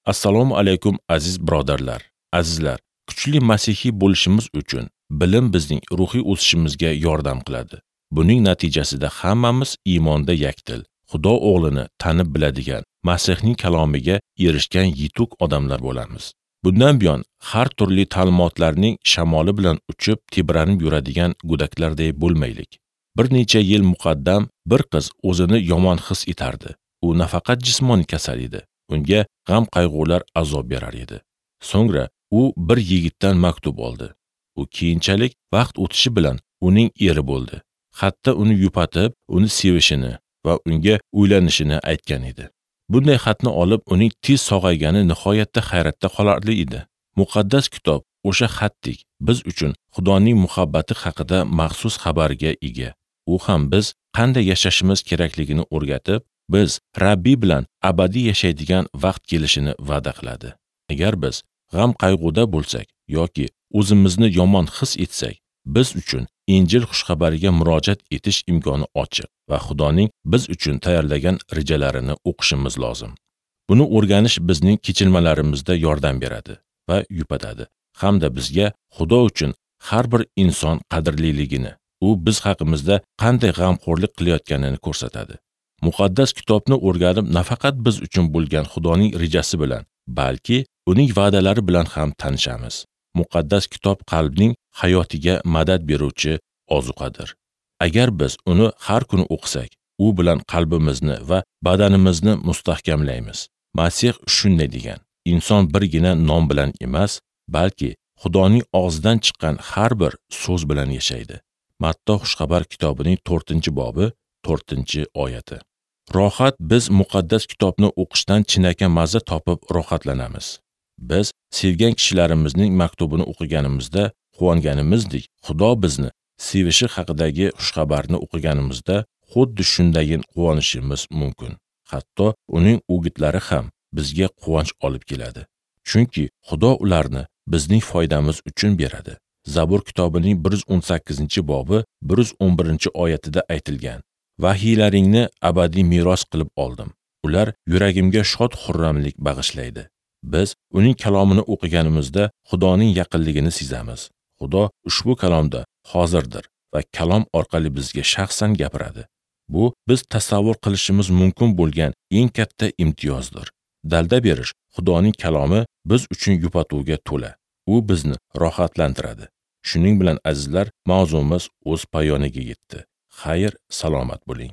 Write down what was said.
Assalomu alaykum aziz birodarlar. Azizlar, kuchli masihiy bo'lishimiz uchun bilim bizning ruhiy o'sishimizga yordam qiladi. Buning natijasida hammamiz iymonda yakdil, Xudo o'g'lini tanib biladigan, Masihning kalomiga erishgan yetuk odamlar bo'lamiz. Bundan buyon har turli ta'limotlarning shamoli bilan uchib, tebranib yuradigan go'daklarday bo'lmaylik. Bir necha yil muqaddam bir qiz o'zini yomon his etardi. U nafaqat jismoniy kasal edi, unga g'am qayg'ular azob berar edi. So'ngra u bir yigitdan maktub oldi. U keyinchalik vaqt o'tishi bilan uning eri bo'ldi. Hatto uni yupatib, uni sevishini va unga uylanishini aytgan edi. Bunday xatni olib, uning tez sog'aygani nihoyatda hayratda qolarli edi. Muqaddas kitob o'sha xatdek biz uchun Xudoning muhabbati haqida maxsus xabarga ega. U ham biz qanday yashashimiz kerakligini o'rgatib, biz Rabbiy bilan abadiy yashaydigan vaqt kelishini va'da qiladi. Agar biz g'am qayg'uda bo'lsak yoki o'zimizni yomon his etsak, biz uchun Injil xushxabariga murojaat etish imkoni ochiq va Xudoning biz uchun tayyorlagan rejalarini o'qishimiz lozim. Buni o'rganish bizning kechinmalarimizda yordam beradi va yupatadi hamda bizga Xudo uchun har bir inson qadrliligini, u biz haqimizda qanday g'amxo'rlik qilayotganini ko'rsatadi. Muqaddas kitobni o'rganib nafaqat biz uchun bo'lgan Xudoning rejasi bilan, balki uning va'dalari bilan ham tanishamiz. Muqaddas kitob qalbning hayotiga madad beruvchi ozuqadir. Agar biz uni har kuni o'qisak, u bilan qalbimizni va badanimizni mustahkamlaymiz. Masih shunday degan: inson birgina non bilan emas, balki Xudoning og'zidan chiqqan har bir so'z bilan yashaydi. Matto Xushxabar kitobining 4-bobi, 4-oyati. Rohat biz muqaddas kitobni o'qishdan chinakam mazza topib rohatlanamiz. Biz sevgan kishilarimizning maktubini o'qiganimizda quvonganimizdek, Xudo bizni sevishi haqidagi xushxabarni o'qiganimizda xuddi shundayin quvonishimiz mumkin. Hatto uning o'gitlari ham bizga quvonch olib keladi. Chunki Xudo ularni bizning foydamiz uchun beradi. Zabur kitobining 118-bobi 111-oyatida aytilgan: Vahiylaringni abadiy meros qilib oldim. Ular yuragimga shod xurramlik bag'ishlaydi. Biz uning kalomini o'qiganimizda Xudoning yaqinligini sezamiz. Xudo ushbu kalomda hozirdir va kalom orqali bizga shaxsan gapiradi. Bu biz tasavvur qilishimiz mumkin bo'lgan eng katta imtiyozdir. Dalda berish Xudoning kalomi biz uchun yupatuvga to'la. U bizni rohatlantiradi. Shuning bilan azizlar, mavzumiz o'z poyoniga yetdi. Xayr, salomat bo'ling.